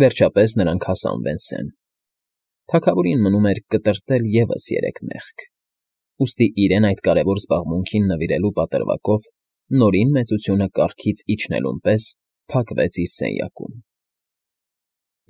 Վերջապես նրանք հասան Վենսեն։ Թագավորին մնում էր կտրտել ևս 3 մեղք, ուստի իրեն այդ կարևոր զբաղմունքին նվիրելու պատրվակով Նորին մեծությունը կառքից իջնելուն պես փակվեց իր սենյակում։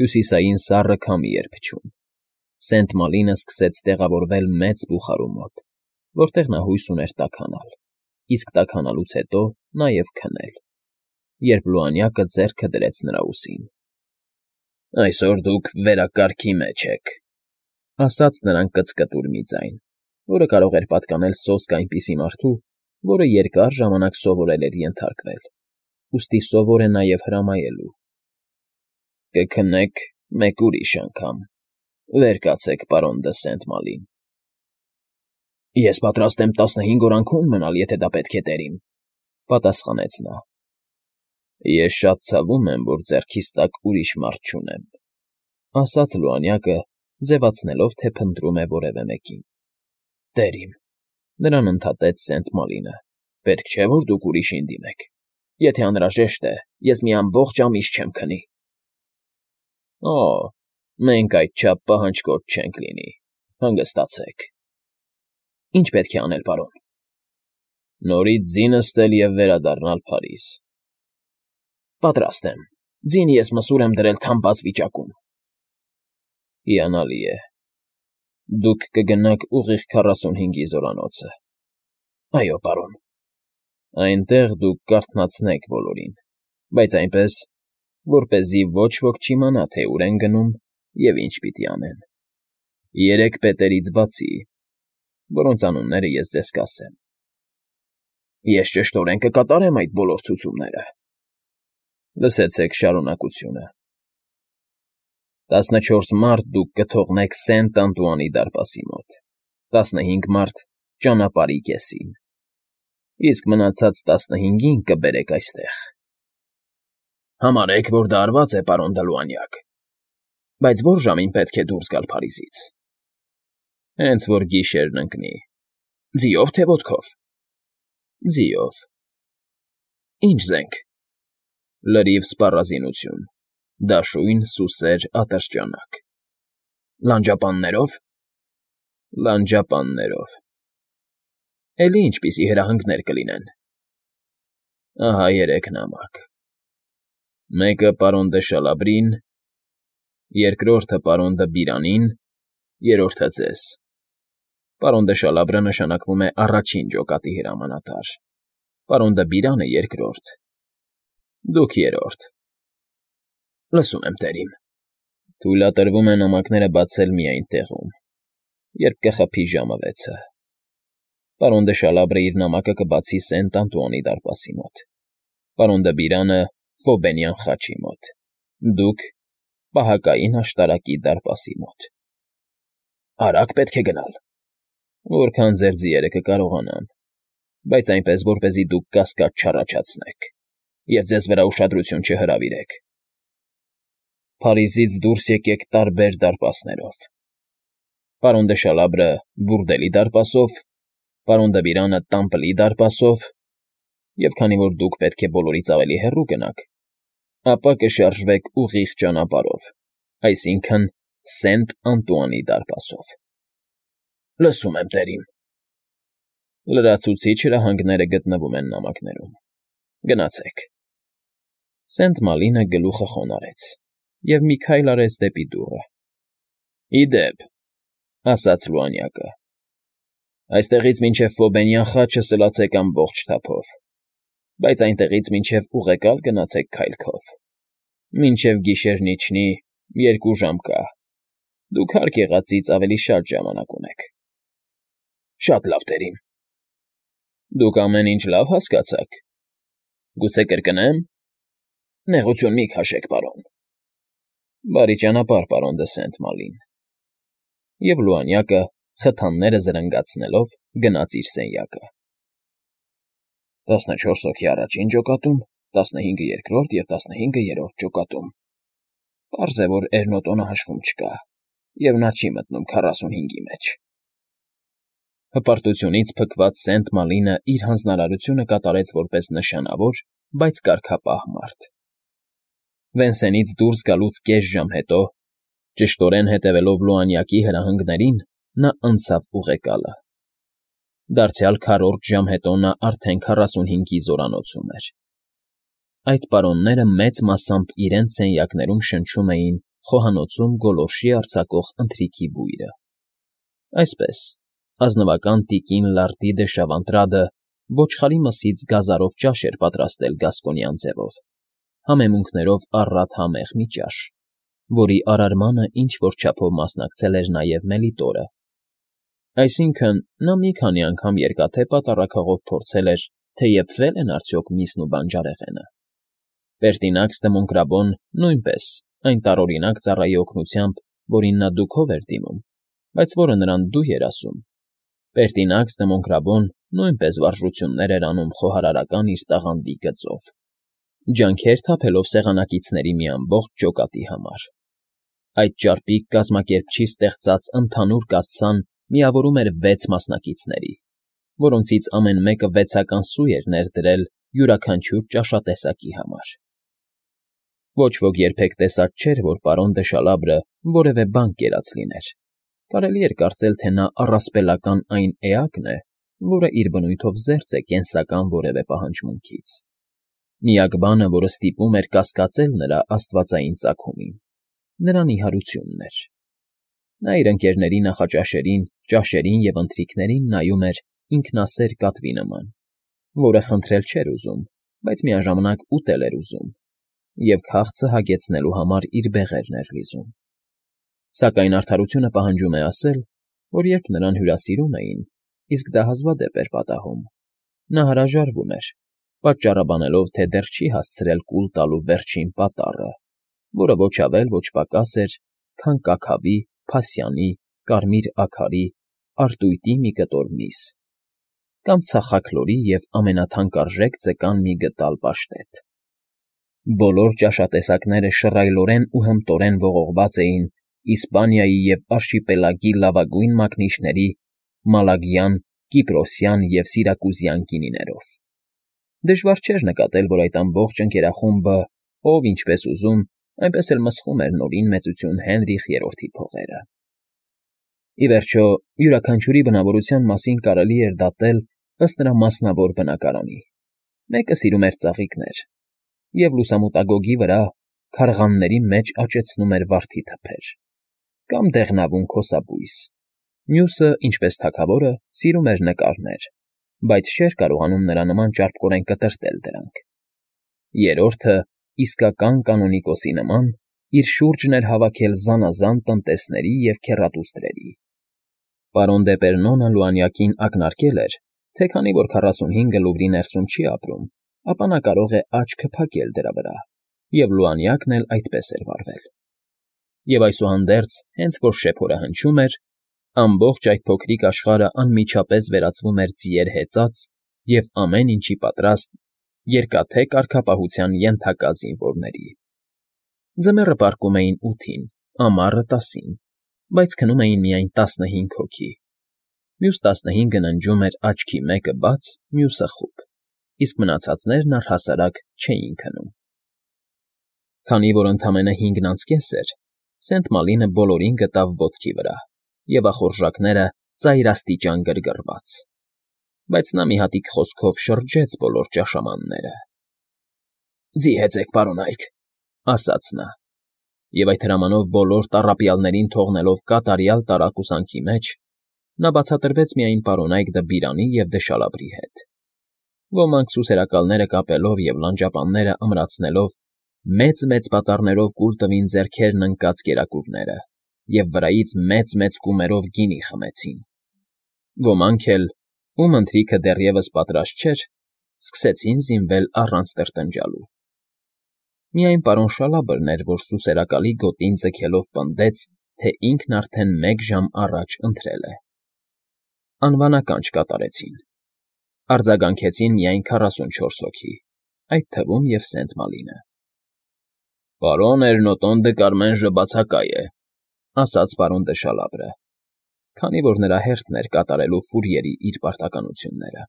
Հյուսիսային սառը քամի էր փչում։ Սենտ Մալինը սկսեց տեղավորվել մեծ բուխարու մոտ, որտեղ նա հույս ուներ տաքանալ, իսկ տաքանալուց հետո նաև քնել, երբ լուանյակը ձեռքը դրեց նրա ուսին։ «Այսօր դուք վերակարգի մեջ եք,֊ ասաց նրան կծկտուր մի ձայն, որը կարող էր պատկանել սոսկ այնպիսի մարդու, որը երկար ժամանակ սովորել էր ենթարկվել, ուստի սովոր է նաև հրամայելու։ Կքնեք մեկ ուրիշ անգամ. վեր կացեք, պարոն դը Սենտ Մալին»։ «Ես պատրաստ եմ 15 օր անքուն մնալ, եթե դա պետք է, տերիմ,֊ պատասխանեց նա։ «Ես շատ ցավում եմ, որ ձեռքիս տակ ուրիշ մարդ չունեմ,֊ ասաց լուանյակը, ձևացնելով, թե փնտրում է որևէ մեկին։ Տերիմ,֊ նրան ընդհատեց Սենտ Մալինը,֊ պետք չէ, որ դուք ուրիշին դիմեք։ Եթե անհրաժեշտ է, ես մի ամբողջ ամիս չեմ քնի։ Օ, մենք այդչափ պահանջկոտ չենք լինի, հանգստացեք։ Ինչ պետք է անել, պարոն։ Նորից ձին նստել և վերադառնալ Փարիզ։ Պատրաստ եմ։ Ձին ես մսուր եմ դրել թամբած վիճակում։ Հիանալի է։ Դուք կգնաք ուղիղ 45-ի զորանոցը։ Այո, պարոն։ Այնտեղ դուք կարթնացնեք բոլորին, բայց այնպես, որպեսզի ոչ ոք չիմանա, թե ուր են գնում և ինչ պիտի անեն։ 3 պետերից բացի, որոնց անունները ես ձեզ կասեմ։ Ես ճշտորեն կկատարեմ այդ բոլոր ցուցումները։ Լսեցեք շարունակությունը։ 14 մարտ դուք կթողնեք Սենտ Անտուանի դարպասի մոտ, 15 մարտ ճանապարհի կեսին, իսկ մնացած 15-ին կբերեք այստեղ։ Համարեք, որ դա արված է, պարոն Դլուանյակ։ Բայց ո՞ր ժամին պետք է դուրս գալ Փարիզից։ Հենց որ գիշերն ընկնի։ Ձիո՞վ, թե ոտքով։ Ձիով։ Ինչ զենք։ Լրիվ սպառազինություն, դաշույն, սուսեր, ատրճանակ։ Լանջապաններո՞վ։ Լանջապաններով։ Էլի ինչպիսի հրահանգներ կլինեն։ Ահա 3 նամակ. մեկը պարոն դը Շալաբրին, երկրորդը պարոն դը Բիրանին, երրորդը ձեզ։ Պարոն դը Շալաբրը նշանակվում է առաջին ջոկատի հրամանատար, պարոն դը Բիրանը երկրորդ, դուք երրորդ։ Լսում եմ, տերիմ։ Թույլատրվում է նամակները բացել միայն տեղում, երբ կխփի ժամը 6-ը։ Պարոն դը Շալաբրը իր նամակը կբացի Սենտ Անտուանի դարպասի մոտ, պարոն դը Բիրանը Ֆոբենյան խաչի մոտ, դուք պահակային աշտարակի դարպասի մոտ։ Արագ պետք է գնալ։ Որքան ձեր ձիերը կկարողանան, բայց այնպես, որպեսզի դուք կասկած չառաջացնեք և ձեզ վրա ուշադրություն չհրավիրեք։ Փարիզից դուրս եկեք տարբեր դարպասներով։ Պարոն դը Շալաբրը բուրդելի դարպասով, պարոն դը Բիրանը Տամպլի դարպասով, և քանի որ դուք պետք է բոլորից ավելի հեռու գնաք, ապա կշարժվեք ուղիղ ճանապարհով, այսինքն Սենտ Անտուանի դարպասով։ Լսում եմ, տերիմ։ Լրացուցիչ հրահանգները գտնվում են նամակներում։ Գնացեք։ Սենտ Մալինը գլուխը խոնարհեց և մի քայլ արեց դեպի դուռը։ Ի դեպ, ասաց լուանյակը, այստեղից մինչև Ֆոբենյան խաչը սլացեք ամբողջ թափով, բայց այնտեղից մինչև ուղեկալ գնացեք քայլքով։ Մինչև գիշերն իջնի 2 ժամ կա։ Դուք հարկ եղածից ավելի շատ ժամանակ ունեք։ Շատ լավ, տերիմ։ Դուք ամեն ինչ լավ հասկացաք։ Գուցե կրկնեմ։ Նեղություն մի քաշեք, պարոն։ Բարի ճանապարհ, պարոն դը Սենտ Մալին։ Եվ լուանյակը, խթանները զրնգացնելով, գնաց իր սենյակը։ 14 հոգի առաջին ջոկատում, 15-ը երկրորդ և 15-ը երրորդ ջոկատում։ Պարզ է, որ Էրնոտոնը հաշվում չկա, և նա չի մտնում 45-ի մեջ։ Հպարտությունից փքված Սենտ Մալինը իր հանձնարարությունը կատարեց որպես նշանավոր, բայց կարգապահ մարդ։ Վենսենից դուրս գալուց կես ժամ հետո, ճշտորեն հետևելով Լուանյակի հրահանգներին, նա անցավ ուղեկալը։ Դարձյալ քառորդ ժամ հետո նա արդեն 45-ի զորանոցում էր։ Այդ պարոնները մեծ մասամբ իրենց սենյակներում շնչում էին խոհանոցում գոլորշի արձակող ընթրիքի բույրը։ Այսպես, ազնվական տիկին Լարդի դե Շավանտրադը ոչխարի մսից գազարով ճաշ էր պատրաստել գասկոնյան ձևով, համեմունքներով առատ համեղ մի ճաշ, որի արարմանը ինչ֊որ չափով մասնակցել էր նաև Մելիտորը։ Այսինքն՝ նա մի քանի անգամ երկաթե պատառաքաղով փորձել էր, թե եփվել են արդյոք միսն ու բանջարեղենը։ Պերտինաքս դե Մոնկրաբոն նույնպես այն տարօրինակ ծառայի օգնությամբ, որին նա դուքով էր դիմում, բայց որը նրան դու էր ասում։ Պերտինաքս դե Մոնկրաբոն նույնպես վարժություններ էր անում խոհարարական իր տաղանդի գծով, ջանքեր թափելով սեղանակիցների մի ամբողջ ջոկատի համար։ Այդ ճարպիկ կազմակերպչի ստեղծած ընդհանուր կաթսան միավորում էր 6 մասնակիցների, որոնցից ամեն մեկը 6-ական սու էր ներդրել յուրաքանչյուր ճաշատեսակի համար։ Ոչ ոք երբեք տեսած չէր, որ պարոն դե Շալաբրը որևէ բան կերած լիներ։ Կարելի էր կարծել, թե նա առասպելական այն էակն է, որը իր բնույթով զերծ է կենսական որևէ պահանջմունքից։ Միակ բանը, որը ստիպում էր կասկածել նրա աստվածային ծագումին, նրա նիհարությունն էր։ Նա իր ընկերների նախաճաշերին, ճաշերին և ընթրիքներին նայում էր ինքնասեր կատվի նման, որը խնդրել չէր ուզում, բայց միաժամանակ ուտել էր ուզում, և քաղցը հագեցնելու համար իր բեղերն էր լիզում։ Սակայն արդարությունը պահանջում է ասել, որ երբ նրան հյուրասիրում էին, իսկ դա հազվադեպ էր պատահում, նա հրաժարվում էր, պատճառաբանելով, թե դեռ չի հասցրել կուլ տալու վերջին պատառը, որը ոչ ավել, ոչ պակաս էր, քան կաքավի, փասյանի, կարմիր աքարի, արտույտի մի կտոր միս, կամ ցախաքլորի և ամենաթանկարժեք ձկան մի գդալ պաշտետ։ Բոլոր ճաշատեսակները շռայլորեն ու հմտորեն ողողված էին Իսպանիայի և արշիպելագի լավագույն մակնիշների մալագյան, կիպրոսյան և սիրակուզյան գինիներով։ Դժվար չէր նկատել, որ այդ ամբողջ ընկերախումբը, ով ինչպես ուզում, այնպես էլ մսխում էր նորին մեծություն Հենրիխ III-ի փողերը։ Ի վերջո, յուրաքանչյուրի բնավորության մասին կարելի էր դատել ըստ նրա մասնավոր բնակարանի։ Մեկը սիրում էր ծաղիկներ և լուսամուտագոգի վրա քարղանների մեջ աճեցնում էր վարդի թփեր, կամ դեղնավուն քոսաբույս, մյուսը, ինչպես թագավորը, սիրում էր նկարներ, բայց չէր կարողանում նրա նման ճարպկորեն կտրտել դրանք։ Երրորդը, իսկական կանոնիկոսի նման, իր շուրջն էր հավաքել զանազան տնտեսների և քեռատուստրերի։ Պարոն դե Պերնոնը Լուանյակին ակնարկել էր, թե քանի որ 45-ը Լուվրի ներսում չի ապրում, ապա նա կարող է աչքը փակել դրա վրա, և Լուանյակն էլ այդպես էր վարվել։ Եվ այսուհանդերձ, հենց որ շեփորը հնչում էր, ամբողջ այդ փոքրիկ աշխարհը անմիջապես վերածվում էր ձիեր հեծած և ամեն ինչի պատրաստ երկաթե կարգապահության ենթակա զինվորների։ Ձմեռը պառկում էին 8-ին, ամառը 10-ին, բայց քնում էին միայն 15 հոգի։ Մյուս 15-ը ննջում էր աչքի մեկը բաց, մյուսը խուլ, իսկ մնացածներն առհասարակ չէին քնում։ Քանի որ ընդամենը 5-ն անց կես էր, Սենտ Մալինը բոլորին գտավ ոտքի վրա և ախորժակները ծայրաստիճան գրգռված, բայց նա մի հատիկ խոսքով շրջեց բոլոր ճաշամանները։ «Ձի հեծեք, պարոնայք», ասաց նա, և այդ հրամանով բոլոր տառապյալներին թողնելով կատարյալ տարակուսանքի մեջ, նա բացատրվեց միայն պարոնայք Դեբիրանի և դե Շալաբրի հետ։ Ոմանք սուսերակալները կապելով և լանջապանները ամրացնելով մեծ-մեծ պատառներով կուլ տվին ձեռքերն ընկած կերակուրները և վրայից մեծ֊մեծ կումերով գինի խմեցին։ Ոմանք էլ, ում ընթրիքը դեռևս պատրաստ չէր, սկսեցին զինվել առանց տրտնջալու։ Միայն պարոն Շալաբրն էր, որ սուսերակալի գոտին ձգելով պնդեց, թե ինքն արդեն 1 ժամ առաջ ընթրել է։ Անվանականչ կատարեցին։ Արձագանքեցին միայն 44 հոգի, այդ թվում և Սենտ Մալինը։ «Պարոն Էրնոտոն դը Կարմենժը բացակայ է», ասաց պարոն դե Շալաբրը, քանի որ նրա հերթն էր կատարելու ֆուրիերի իր պարտականությունները։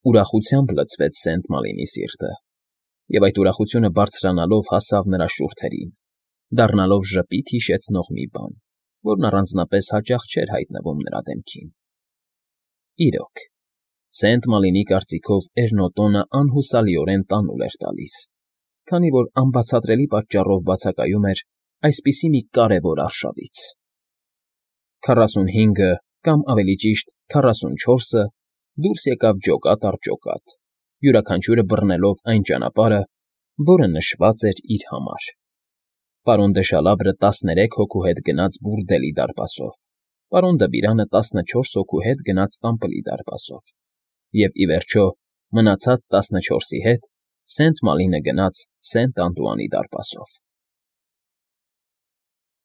Ուրախությամբ լցվեց Սենտ Մալինի սիրտը, Եվ այդ ուրախությունը բարձրանալով հասավ նրա շուրթերին, դառնալով ժպիտ հիշեցնող մի բան, որն առանձնապես հաճախ չէր հայտնվում նրա դեմքին. իրոք, Սենտ Մալինի կարծիքով Էրնոտոնը անհուսալիորեն տանուլ էր տալիս, քանի որ անբացատրելի պատճառով բացակայում էր այսպիսի մի կարևոր արշավից. 45-ը կամ, ավելի ճիշտ, 44-ը դուրս եկավ ջոկատ առ ջոկատ, յուրաքանչյուրը բռնելով այն ճանապարհը, որը նշված էր իր համար. պարոն Դեշալաբրը 13 հոգու հետ գնաց բուրդելի դարպասով, պարոն Դմբիրանը 14 հոգու հետ գնաց տամբլի դարպասով, և, ի վերջո, մնացած 14-ի հետ Սենտ Մալինը գնաց Սենտ Անտուանի դարպասով։